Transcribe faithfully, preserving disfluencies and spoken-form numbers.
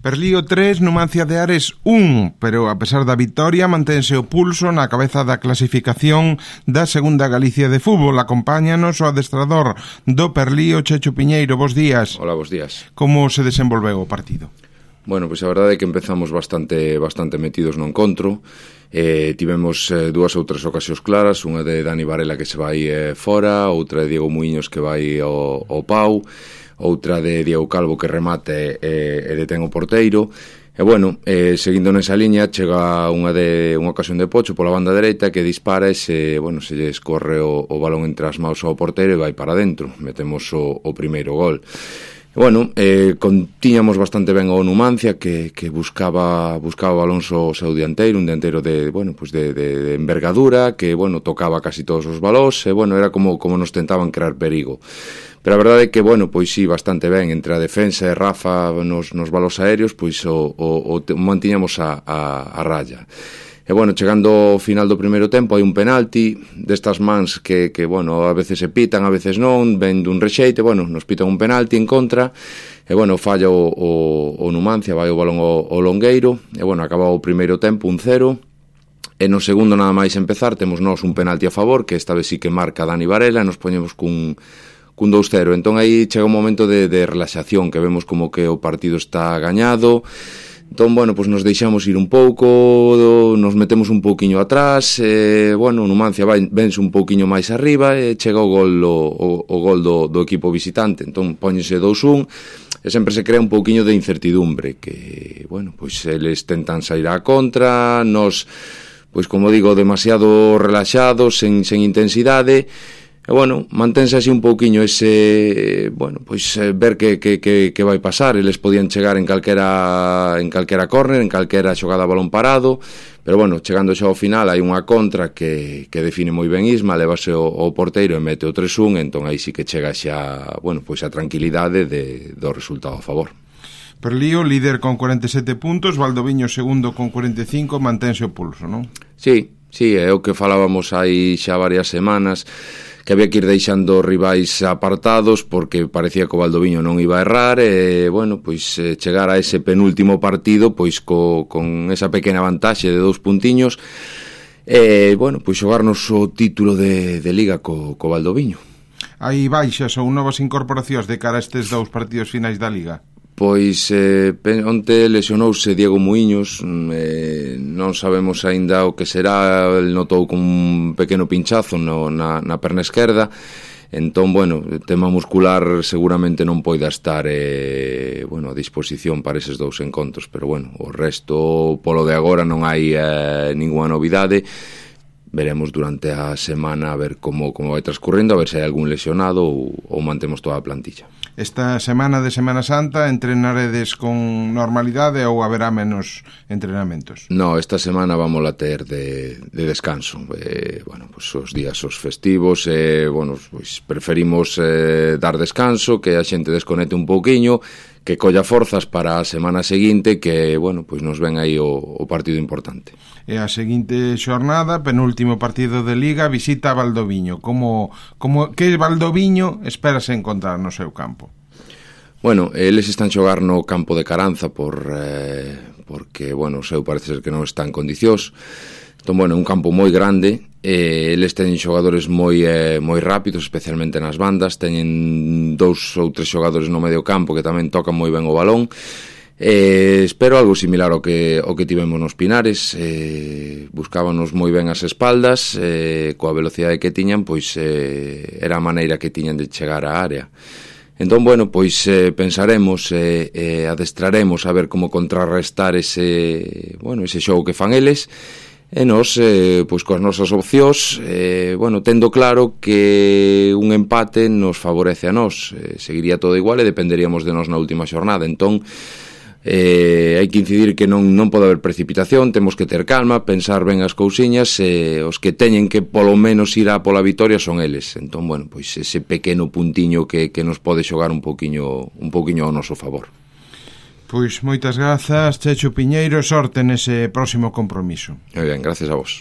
Perlío tres, Numancia de Ares un, pero a pesar da vitoria mantense o pulso na cabeza da clasificación da segunda Galicia de fútbol. Acompáñanos o adestrador do Perlío, Checho Piñeiro. Bos días. Hola, bos días. Como se desenvolveu o partido? Bueno, pois a verdade é que empezamos bastante bastante metidos no encontro. Eh, tivemos eh, dúas ou tres ocasións claras, unha de Dani Varela que se vai eh, fora, outra de Diego Muiños que vai ao, ao pau, outra de Diego Calvo que remate e, e detén o porteiro. E bueno, eh, seguindo nesa liña, chega unha de unha ocasión de Pocho pola banda dereita que dispara e se, bueno, se lle escorre o, o balón entre as maus ao porteiro e vai para dentro. Metemos o, o primeiro gol. E bueno, eh, con, tiñamos bastante ben o Numancia que, que buscaba buscaba o balón so seu dianteiro, un dianteiro de, bueno, pues de, de, de envergadura, que, bueno, tocaba casi todos os balóns e, bueno, era como, como nos tentaban crear perigo. Pero a verdade é que, bueno, pois sí, bastante ben, entre a defensa e Rafa nos, nos balóns aéreos, pois o, o, o mantiñamos a, a, a raya. E, bueno, chegando ao final do primeiro tempo hai un penalti destas mans que, que, bueno, a veces se pitan, a veces non, ven dun rexeite, bueno, nos pitan un penalti en contra, e, bueno, falla o, o, o Numancia, vai o balón ao, ao longueiro, e, bueno, acaba o primeiro tempo un cero, e no segundo nada máis empezar temos nós un penalti a favor, que esta vez sí que marca Dani Varela, e nos poñemos cun, cun dous cero, entón aí chega un momento de, de relaxación, que vemos como que o partido está gañado. Entón, bueno, pues nos deixamos ir un pouco, nos metemos un pouquiño atrás, e, bueno, o Numancia vai, vense un pouquiño máis arriba e chega o gol, o, o, o gol do, do equipo visitante, entón póñese dous un e sempre se crea un pouquiño de incertidumbre, que, bueno, pois eles tentan sair á contra, nos, pois como digo, demasiado relaxados, sen, sen intensidade. E, bueno, mantense así un pouquiño ese, bueno, pois eh, ver que, que, que, que vai pasar. Eles podían chegar en calquera en calquera córner, en calquera xogada a balón parado, pero, bueno, chegando xa ao final hai unha contra que, que define moi ben Isma, levase o, o porteiro e mete o tres un, entón aí sí que chega xa, bueno, pois a tranquilidade de, do resultado a favor. Perlío, líder con cuarenta e sete puntos, Valdoviño segundo con cuarenta e cinco, mantense o pulso, non? Sí, sí, é o que falábamos hai xa varias semanas, que había que ir deixando rivais apartados porque parecía que o Valdoviño non iba a errar e, bueno, pois chegar a ese penúltimo partido pois co, con esa pequena vantaxe de dous puntiños e, bueno, pois xogarnos o título de, de Liga co, co Valdoviño. Hai baixas ou novas incorporacións de cara a estes dous partidos finais da Liga? Pois eh, onte lesionouse Diego Muiños, eh, non sabemos aínda o que será, el notou con un pequeno pinchazo no, na, na perna esquerda, entón, bueno, tema muscular seguramente non poida estar eh, bueno, a disposición para eses dous encontros, pero, bueno, o resto, polo de agora non hai eh, ninguna novidade. Veremos durante a semana a ver como, como vai transcurrindo, a ver se hai algún lesionado ou, ou mantemos toda a plantilla. Esta semana de Semana Santa entrenaredes con normalidade ou haberá menos entrenamentos? No, esta semana vamos a ter de, de descanso. Eh, bueno, pues os días os festivos, eh, bueno, pues preferimos eh, dar descanso, que a xente desconecte un pouquiño, que colla forzas para a semana seguinte, que, bueno, pois nos ven aí o, o partido importante. E a seguinte xornada, penúltimo partido de Liga, visita a Valdoviño. Como, como que Valdoviño esperas encontrar no seu campo? Bueno, eles están xogar no campo de Caranza por, eh, porque, bueno, o seu parece ser que non está en condicións. Entón, bueno, é un campo moi grande, e eles teñen xogadores moi eh, moi rápidos, especialmente nas bandas, teñen dous ou tres xogadores no medio campo que tamén tocan moi ben o balón. Eh, espero algo similar ao que, ao que tivemos nos Pinares, eh, buscábanos moi ben as espaldas, eh, coa velocidade que tiñan, pois eh, era a maneira que tiñan de chegar á área. Entón, bueno, pois eh, pensaremos e eh, eh, adestraremos a ver como contrarrestar ese, bueno, ese xogo que fan eles, e nos, eh, pois coas nosas opcións, eh, bueno, tendo claro que un empate nos favorece a nós, eh, seguiría todo igual e dependeríamos de nós na última xornada, entón eh, hai que incidir que non, non pode haber precipitación, temos que ter calma, pensar ben as cousiñas, e eh, os que teñen que polo menos ir a pola vitoria son eles, entón, bueno, pois ese pequeno puntiño que, que nos pode xogar un pouquiño, un pouquiño ao noso favor. Pois moitas grazas, Checho Piñeiro, sorte nese próximo compromiso. Moi ben, gracias a vos.